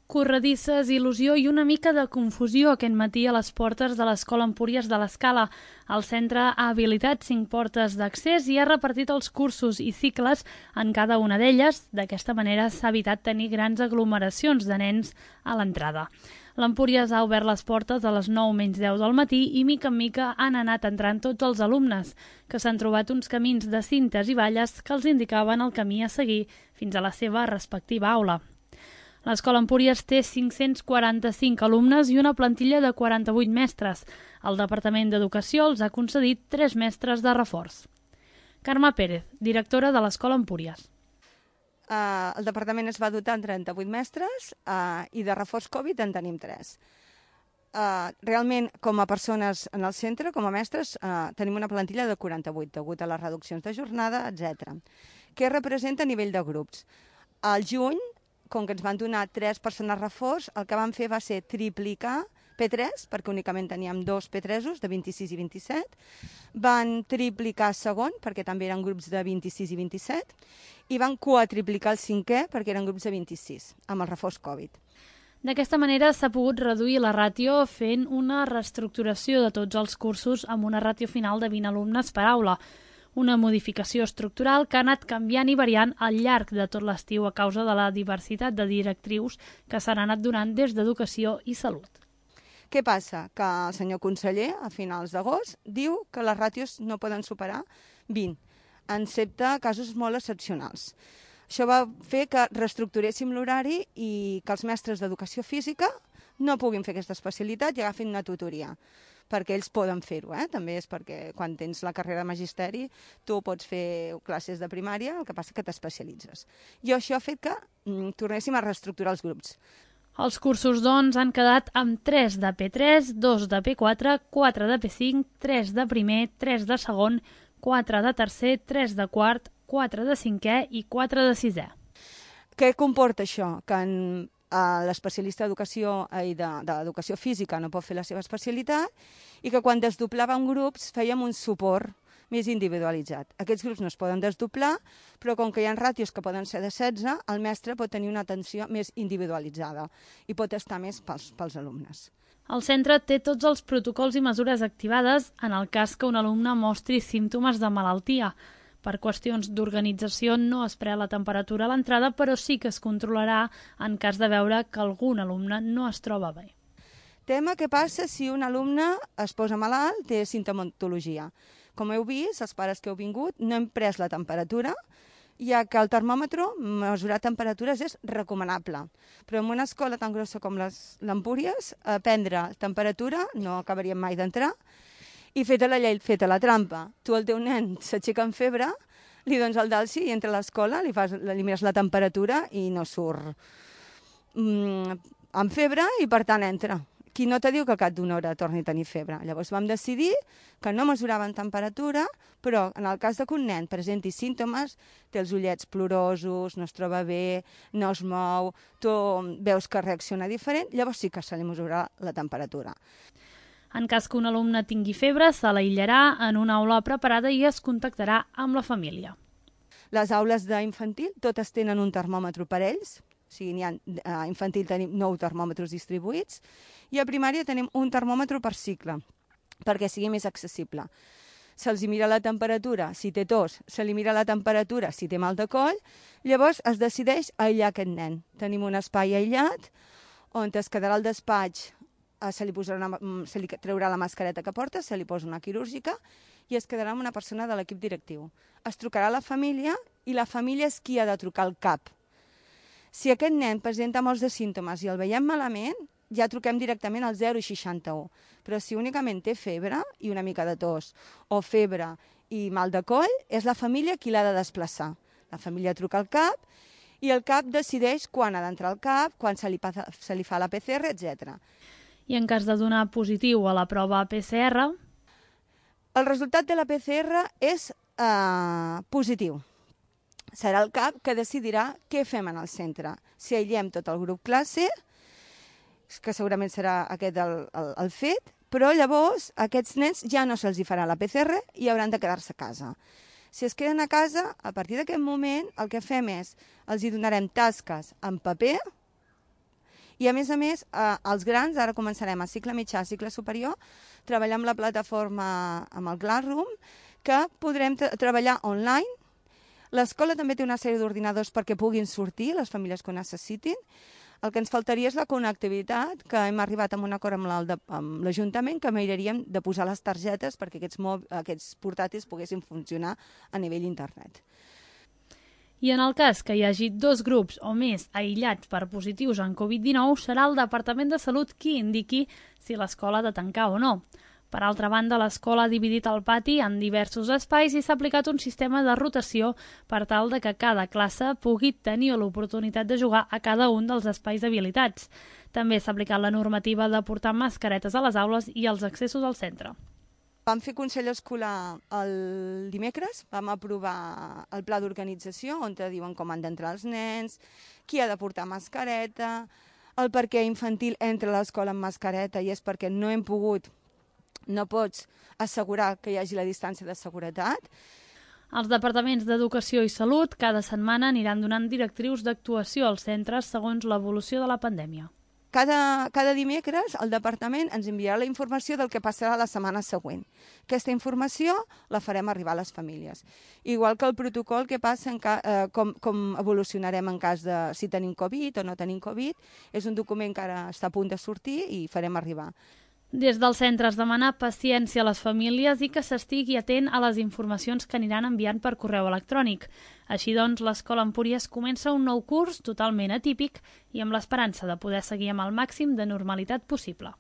Corredisses, il·lusió i una mica de confusió aquest matí a les portes de l'Escola Empúries de l'Escala. El centre ha habilitat 5 portes d'accés i ha repartit els cursos i cicles en cada una d'elles. D'aquesta manera s'ha evitat tenir grans aglomeracions de nens a l'entrada. L'Empúries ha obert les portes a les 9 menys 10 del matí i mica en mica han anat entrant tots els alumnes, que s'han trobat uns camins de cintes i valles que els indicaven el camí a seguir fins a la seva respectiva aula. L'Escola Empúries té 545 alumnes i una plantilla de 48 mestres. El Departament d'Educació els ha concedit 3 mestres de reforç. Carme Pérez, directora de l'Escola Empúries. El departament es va dotar amb 38 mestres i de reforç Covid en tenim 3. Realment, com a persones en el centre, com a mestres, tenim una plantilla de 48, degut a les reduccions de jornada, etc. Què representa a nivell de grups? Al juny, com que ens van donar 3 persones reforç, el que vam fer va ser triplicar P3, perquè únicament teníem 2 P3s, de 26 i 27. Van triplicar segon, perquè també eren grups de 26 i 27. I van quadriplicar el 5è, perquè eren grups de 26, amb el reforç Covid. D'aquesta manera s'ha pogut reduir la ràtio fent una reestructuració de tots els cursos amb una ràtio final de 20 alumnes per aula. Una modificació estructural que ha anat canviant i variant al llarg de tot l'estiu a causa de la diversitat de directrius que s'han anat donant des d'Educació i Salut. Què passa? Que el senyor conseller, a finals d'agost, diu que les ràtios no poden superar 20, excepte casos molt excepcionals. Això va fer que reestructuréssim l'horari i que els mestres d'Educació Física no puguin fer aquesta especialitat i agafin una tutoria, perquè ells poden fer-ho, també és perquè quan tens la carrera de magisteri tu pots fer classes de primària, el que passa que t'especialitzes. I això ha fet que tornéssim a reestructurar els grups. Els cursos, doncs, han quedat amb 3 de P3, 2 de P4, 4 de P5, 3 de primer, 3 de segon, 4 de tercer, 3 de quart, 4 de cinquè i 4 de sisè. Què comporta això? Que l'especialista d'educació física no pot fer la seva especialitat i que quan desdoblàvem grups fèiem un suport més individualitzat. Aquests grups no es poden desdoblar, però com que hi ha ràtios que poden ser de 16, el mestre pot tenir una atenció més individualitzada i pot estar més pels alumnes. El centre té tots els protocols i mesures activades en el cas que un alumne mostri símptomes de malaltia. Per qüestions d'organització no es pren la temperatura a l'entrada, però sí que es controlarà en cas de veure que algun alumne no es troba bé. Tema què passa si un alumne es posa malalt, té sintomatologia. Com heu vist, els pares que heu vingut, no hem pres la temperatura, ja que el termòmetre, mesurar temperatures és recomanable. Però en una escola tan grossa com l'Empúries, prendre temperatura no acabaríem mai d'entrar, i feta la llei, feta la trampa. Tu, el teu nen, s'aixeca amb febre, li dones el dalsi i entra a l'escola, li mires la temperatura i no surt amb febre i per tant entra. Qui no te diu que al cap d'una hora torni a tenir febre? Llavors vam decidir que no mesuraven temperatura, però en el cas que un nen presenti símptomes, té els ullets plorosos, no es troba bé, no es mou, tu veus que reacciona diferent, llavors sí que se li mesurarà la temperatura. En cas que un alumne tingui febre, se l'aïllarà en una aula preparada i es contactarà amb la família. Les aules d'infantil totes tenen un termòmetre per ells, o sigui, a infantil tenim 9 termòmetres distribuïts i a primària tenim un termòmetre per cicle, perquè sigui més accessible. Se'ls mira la temperatura, si té tos, se li mira la temperatura, si té mal de coll, llavors es decideix aïllar aquest nen. Tenim un espai aïllat on es quedarà al despatx, se li treurà la mascareta que porta, se li posa una quirúrgica i es quedarà amb una persona de l'equip directiu. Es trucarà a la família i la família és qui ha de trucar al CAP. Si aquest nen presenta molts de símptomes i el veiem malament, ja truquem directament al 061. Però si únicament té febre i una mica de tos, o febre i mal de coll, és la família qui l'ha de desplaçar. La família truca al CAP i el CAP decideix quan ha d'entrar al CAP, quan se li fa la PCR, etc. I en cas de donar positiu a la prova PCR? El resultat de la PCR és positiu. Serà el CAP que decidirà què fem en el centre. Si aïllem tot el grup classe, que segurament serà aquest el fet, però llavors aquests nens ja no se'ls farà la PCR i hauran de quedar-se a casa. Si es queden a casa, a partir d'aquest moment el que fem és els hi donarem tasques en paper I a més, els grans, ara començarem a cicle mitjà, a cicle superior, treballar amb la plataforma, amb el Classroom, que podrem treballar online. L'escola també té una sèrie d'ordinadors perquè puguin sortir les famílies que ho necessitin. El que ens faltaria és la connectivitat, que hem arribat a un acord amb l'Ajuntament, que miraríem de posar les targetes perquè aquests portàtils poguessin funcionar a nivell internet. I en el cas que hi hagi 2 grups o més aïllats per positius en Covid-19, serà el Departament de Salut qui indiqui si l'escola ha de tancar o no. Per altra banda, l'escola ha dividit el pati en diversos espais i s'ha aplicat un sistema de rotació per tal de que cada classe pugui tenir l'oportunitat de jugar a cada un dels espais habilitats. També s'ha aplicat la normativa de portar mascaretes a les aules i als accessos al centre. Vam fer Consell Escolar el dimecres, vam aprovar el pla d'organització on te diuen com han d'entrar els nens, qui ha de portar mascareta, el per què infantil entra a l'escola amb mascareta i és perquè no pots assegurar que hi hagi la distància de seguretat. Els departaments d'Educació i Salut cada setmana aniran donant directrius d'actuació als centres segons l'evolució de la pandèmia. Cada dimecres el departament ens enviarà la informació del que passarà la setmana següent. Aquesta informació la farem arribar a les famílies. Igual que el protocol que passa, com evolucionarem en cas de si tenim Covid o no tenim Covid, és un document que ara està a punt de sortir i farem arribar. Des del centre es demana paciència a les famílies i que s'estigui atent a les informacions que aniran enviant per correu electrònic. Així doncs, l'Escola Empúries comença un nou curs totalment atípic i amb l'esperança de poder seguir amb el màxim de normalitat possible.